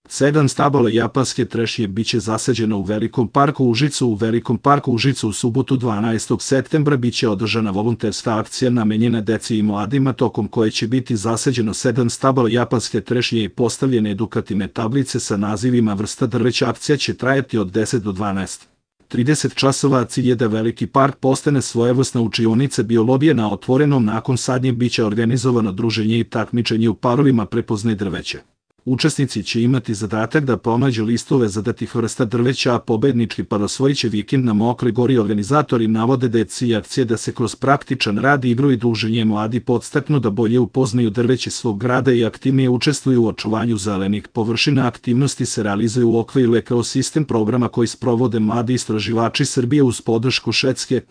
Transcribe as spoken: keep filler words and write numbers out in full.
Sedam stabala japanske trešnje biće zasađeno u Velikom parku Užicu. U Velikom parku Užicu u subotu dvanaestog septembra biće održana volonterska akcija namenjena deci i mladima, tokom koje će biti zasađeno sedam stabala japanske trešnje i postavljene edukativne tablice sa nazivima vrsta drveća. Akcija će trajati od deset do dvanaest trideset časova, a cilj je da Veliki park postane svojevrsna učionica biologije na otvorenom. Nakon sadnje biće organizovano druženje i takmičenje u parovima prepoznaj drveće. Učesnici će imati zadatak da pronađu listove zadatih vrsta drveća, a pobednički par osvojit će vikend na Mokroj gori. Organizatori navode da je cilj akcije da se kroz praktičan rad, igru i druženje mladi podstaknu da bolje upoznaju drveće svog grada i aktivnije učestvuju u očuvanju zelenih površina. Aktivnosti se realizuju u okviru ekosistem programa koji sprovode mladi istraživači Srbije uz podršku Švedske.